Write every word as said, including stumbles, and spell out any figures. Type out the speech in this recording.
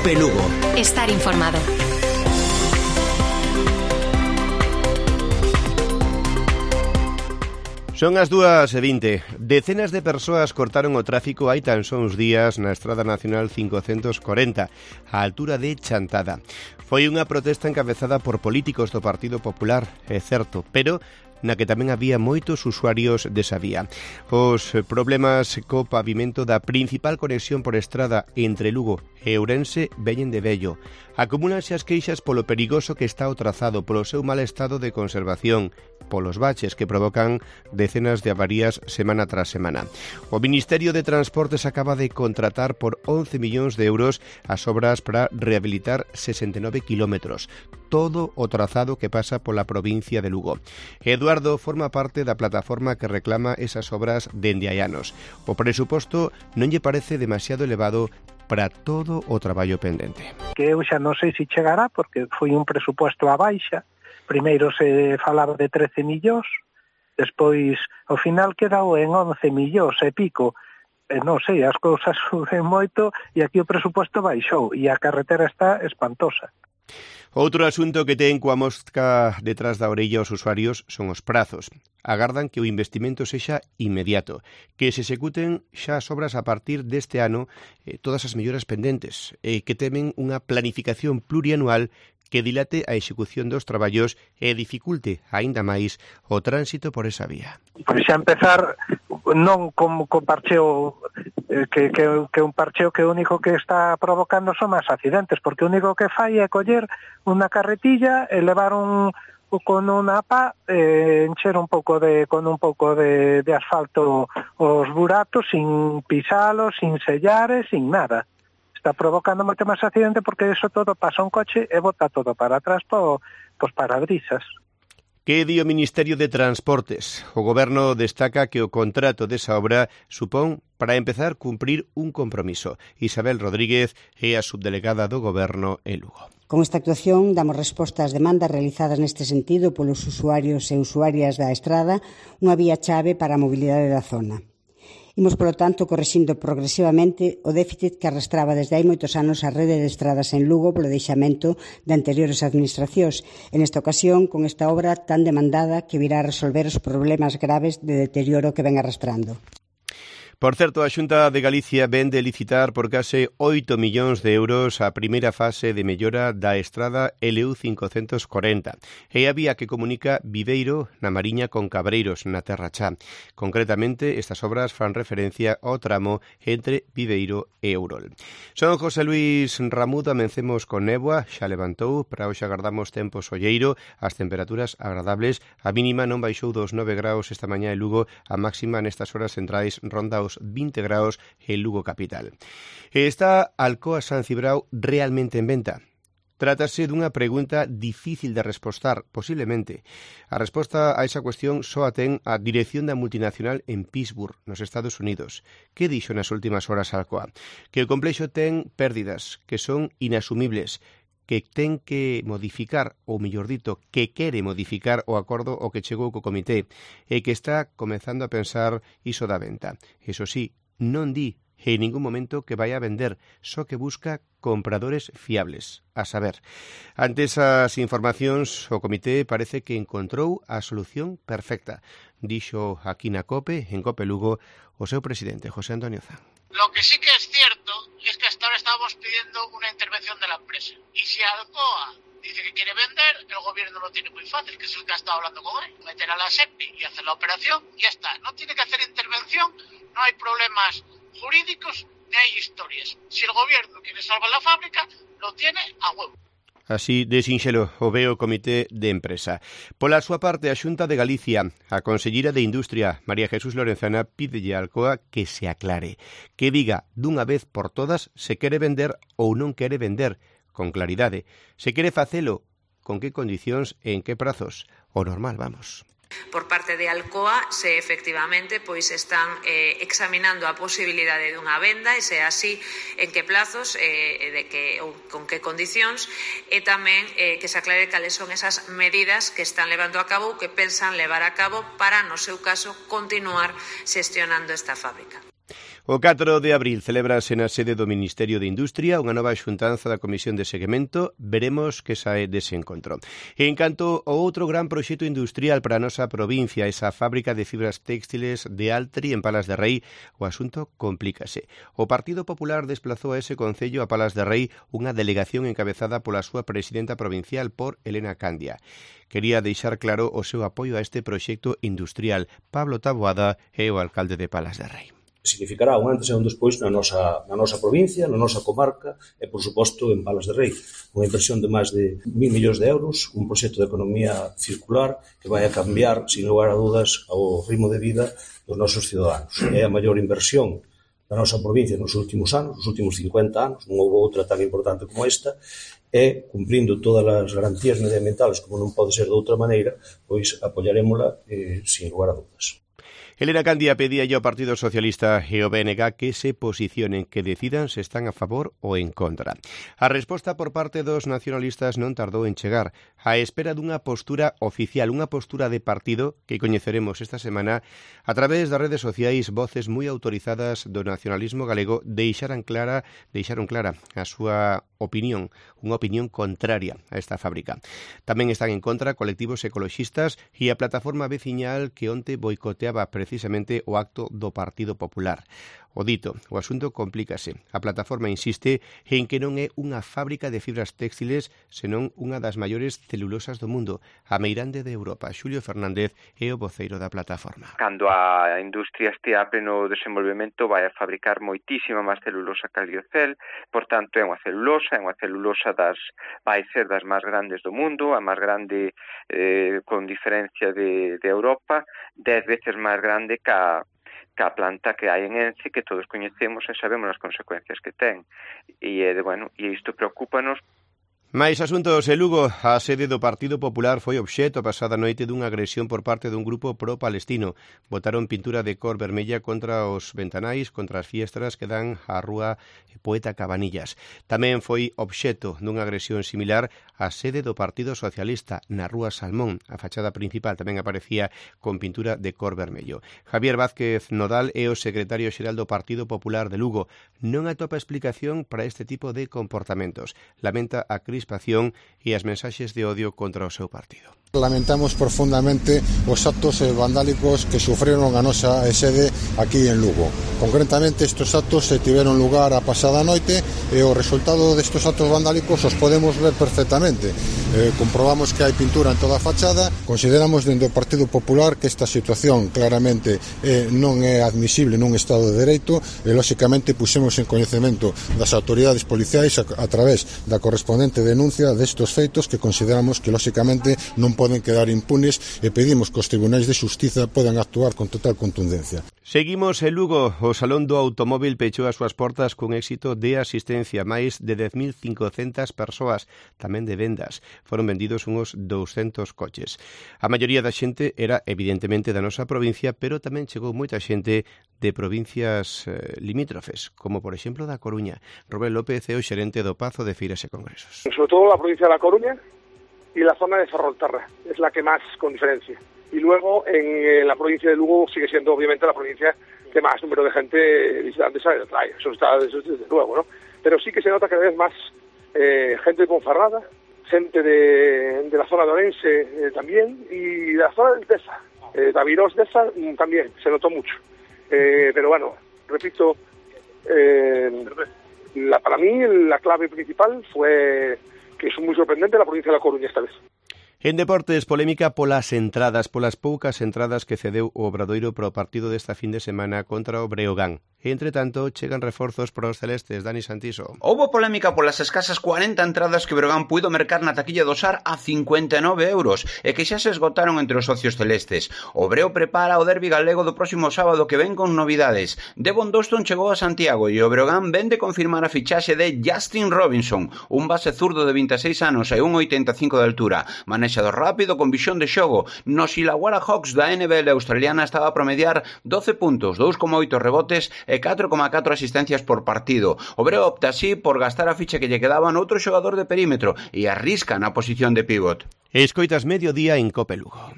COPE Lugo. Estar informado. Son as dúas e vinte. Decenas de persoas cortaron o tráfico hai tan só uns días na Estrada Nacional cincocentos corenta, á altura de Chantada. Foi unha protesta encabezada por políticos do Partido Popular, é certo, pero na que tamén había moitos usuarios desa vía. Os problemas co pavimento da principal conexión por estrada entre Lugo e Ourense veñen de vello. Acumúlanse as queixas polo perigoso que está o trazado, polo seu mal estado de conservación, polos baches que provocan decenas de avarías semana tras semana. O Ministerio de Transportes acaba de contratar por once millóns de euros as obras para rehabilitar sesenta e nove kilómetros, todo o trazado que pasa pola provincia de Lugo. Eduardo forma parte da plataforma que reclama esas obras dende hai anos. O presuposto non lle parece demasiado elevado para todo o traballo pendente. Que eu xa non sei se chegará, porque foi un presuposto a baixa. Primeiro se falaba de trece millóns, despois ao final quedou en once millóns e pico. E non sei, as cousas suben moito e aquí o presuposto baixou e a carretera está espantosa. Outro asunto que ten coa mosca detrás da orella os usuarios son os prazos. Agardan que o investimento sexa inmediato, que se executen xa as obras a partir deste ano eh, todas as melloras pendentes, e eh, que temen unha planificación plurianual que dilate a execución dos traballos e dificulte aínda máis o tránsito por esa vía. Pois xa empezar non como co parcheo eh, que, que, que un parcheo que o único que está provocando son máis accidentes, porque o único que fai é coller unha carretilla e levar un con unha pa eh, encher un pouco de con un pouco de, de asfalto os buratos sin pisalos, sin sellares, sin nada. Está provocando moito máis accidente porque eso todo pasa un coche e bota todo para atrás po, pos parabrisas. Que di o Ministerio de Transportes? O Goberno destaca que o contrato desa obra supón, para empezar, cumprir un compromiso. Isabel Rodríguez é a subdelegada do Goberno en Lugo. Con esta actuación damos resposta ás demandas realizadas neste sentido polos usuarios e usuarias da estrada, unha vía chave para a mobilidade da zona. Imos, polo tanto, corrixindo progresivamente o déficit que arrastraba desde hai moitos anos a rede de estradas en Lugo polo deixamento de anteriores administracións. En esta ocasión, con esta obra tan demandada que virá a resolver os problemas graves de deterioro que ven arrastrando. Por certo, a Xunta de Galicia ven de licitar por case oito millóns de euros a primeira fase de mellora da estrada L U cincocentos corenta. É a vía que comunica Viveiro na Mariña con Cabreiros, na Terra Chá. Concretamente, estas obras fan referencia ao tramo entre Viveiro e Ourol. Son José Luis Ramudo, amencemos con néboa, xa levantou, para hoxe agardamos tempo solleiro, as temperaturas agradables, a mínima non baixou dos nove graus esta mañá en Lugo, a máxima nestas horas centrais ronda os vinte graus en Lugo capital. Está Alcoa San Cibrao realmente en venta? Trátase dunha pregunta difícil de respostar, posiblemente. A resposta a esa cuestión só a ten a dirección da multinacional en Pittsburgh, nos Estados Unidos. Que dixo nas últimas horas Alcoa? Que o complexo ten pérdidas que son inasumibles, que ten que modificar, ou mellor dito, que quere modificar o acordo ao que chegou co comité e que está comezando a pensar iso da venta. Eso sí, non di en ningún momento que vai a vender, só que busca compradores fiables. A saber, ante esas informacións, o comité parece que encontrou a solución perfecta. Dixo aquí na COPE, en COPE Lugo, o seu presidente, José Antonio Zan. Lo que sí que es cierto es que hasta ahora estábamos pidiendo una intervención de la empresa. Y si Alcoa dice que quiere vender, el gobierno lo tiene muy fácil, que es el que ha estado hablando con él. Meter a la SEPI y hacer la operación, y ya está. No tiene que hacer intervención, no hay problemas jurídicos ni hay historias. Si el gobierno quiere salvar la fábrica, lo tiene a huevo. Así de sinxelo o ve o Comité de Empresa. Pola súa parte, a Xunta de Galicia, a Conselleira de Industria, María Jesús Lorenzana, pídelle a Alcoa que se aclare, que diga dunha vez por todas se quere vender ou non quere vender, con claridade. Se quere facelo, con que condicións e en que prazos. O normal, vamos. Por parte de Alcoa, se efectivamente pois están eh, examinando a posibilidade dunha venda e se é así, en que plazos, eh, de que, ou con que condicións, e tamén eh, que se aclare cales son esas medidas que están levando a cabo ou que pensan levar a cabo para, no seu caso, continuar xestionando esta fábrica. O catro de abril celebrase na sede do Ministerio de Industria unha nova xuntanza da Comisión de Seguimento. Veremos que sae dese encontro. E en canto ao outro gran proxecto industrial para a nosa provincia, esa fábrica de fibras téxtiles de Altri en Palas de Rei, o asunto complícase. O Partido Popular desplazou a ese concello a Palas de Rei unha delegación encabezada pola súa presidenta provincial, por Elena Candia. Quería deixar claro o seu apoio a este proxecto industrial. Pablo Taboada é o alcalde de Palas de Rei. Significará un antes e un despois na nosa, na nosa provincia, na nosa comarca e, por suposto, en Palas de Rei. Unha inversión de máis de mil millóns de euros, un proxecto de economía circular que vai a cambiar, sin lugar a dudas, ao ritmo de vida dos nosos ciudadanos. É a maior inversión da nosa provincia nos últimos anos, nos últimos cincuenta anos, non houve outra tan importante como esta, e, cumprindo todas as garantías medioambientales, como non pode ser de outra maneira, pois apoiarémola eh, sin lugar a dudas. Elena Candia pedía ao Partido Socialista e ao B N G que se posicionen, que decidan se están a favor ou en contra. A resposta por parte dos nacionalistas non tardou en chegar, á espera dunha postura oficial, unha postura de partido que coñeceremos esta semana a través das redes sociais. Voces moi autorizadas do nacionalismo galego deixaran clara, deixaron clara a súa opinión, unha opinión contraria a esta fábrica. Tamén están en contra colectivos ecoloxistas e a plataforma veciñal que onte boicoteaba precisamente o acto do Partido Popular. O dito, o asunto complícase. A plataforma insiste en que non é unha fábrica de fibras téxtiles, senón unha das maiores celulosas do mundo, a meirande de Europa. Xulio Fernández é o voceiro da plataforma. Cando a industria estea a pleno desenvolvemento, vai a fabricar moitísima máis celulosa que a liocel, por tanto é unha celulosa, é unha celulosa das, vai ser das máis grandes do mundo, a máis grande eh, con diferencia de, de Europa, dez veces máis grande que a que a planta que hai en Ence, que todos coñecemos e sabemos as consecuencias que ten. E, bueno, e isto preocúpanos. Mais asuntos en Lugo, a sede do Partido Popular foi obxecto a pasada noite dunha agresión por parte dun grupo pro-palestino. Botaron pintura de cor vermella contra os ventanais, contra as fiestras que dan á rúa Poeta Cabanillas. Tamén foi obxecto dunha agresión similar a sede do Partido Socialista na rúa Salmón. A fachada principal tamén aparecía con pintura de cor vermello. Javier Vázquez Nodal é o secretario xeral do Partido Popular de Lugo. Non atopa explicación para este tipo de comportamentos. Lamenta a crispación e as mensaxes de odio contra o seu partido. Lamentamos profundamente os actos vandálicos que sufreron a nosa sede aquí en Lugo. Concretamente, estes actos se tiveron lugar a pasada noite e o resultado destes actos vandálicos os podemos ver perfectamente. Eh, comprobamos que hai pintura en toda a fachada. Consideramos dentro do Partido Popular que esta situación claramente eh, non é admisible nun Estado de Dereito e, lóxicamente, pusemos en coñecemento das autoridades policiais a, a través da correspondente denuncia destes feitos que consideramos que, lóxicamente, non poden quedar impunes e pedimos que os tribunais de xustiza podan actuar con total contundencia. Seguimos en Lugo. O Salón do Automóvil pechou as súas portas con éxito de asistencia. Máis de dez mil cincocentas persoas, tamén de vendas. Foron vendidos uns douscentos coches. A maioría da xente era evidentemente da nosa provincia, pero tamén chegou moita xente de provincias eh, limítrofes, como por exemplo da Coruña. Rubén López é o xerente do Pazo de Feiras e Congresos. Sobre todo la provincia de La Coruña y la zona de Ferrolterra, es la que más con diferencia. Y luego en, en la provincia de Lugo sigue siendo obviamente la provincia que más número de gente visitantes trae, eso está eso desde luego, ¿no? Pero sí que se nota cada vez más eh, gente de Ponferrada, gente de, de la zona de Orense eh, también, y de la zona del Tesa, eh, Daviros de esa también, se notó mucho. Eh, pero bueno, repito, eh, la, para mí la clave principal fue que es muy sorprendente la provincia de La Coruña esta vez. En deportes, polémica polas entradas, polas poucas entradas que cedeu o Obradoiro para o partido desta fin de semana contra o Breogán. Entre tanto, chegan reforzos para os celestes. Dani Santiso. Houbo polémica polas escasas cuarenta entradas que Breogán puido mercar na taquilla do S A R a cincuenta e nove euros e que xa se esgotaron entre os socios celestes. O Breo prepara o derbi galego do próximo sábado que ven con novidades. Devon Doston chegou a Santiago e o Breogán ven de confirmar a fichaxe de Justin Robinson, un base zurdo de vinte e seis anos e un oitenta e cinco de altura. Manexador rápido con visión de xogo. Nos Illawarra Hawks da N B L australiana estaba a promediar doce puntos, dous coma oito rebotes e catro coma catro asistencias por partido. O Breo opta así por gastar a ficha que lle quedaba noutro xogador de perímetro e arrisca na posición de pivot. Escoitas Mediodía en Cope Lugo.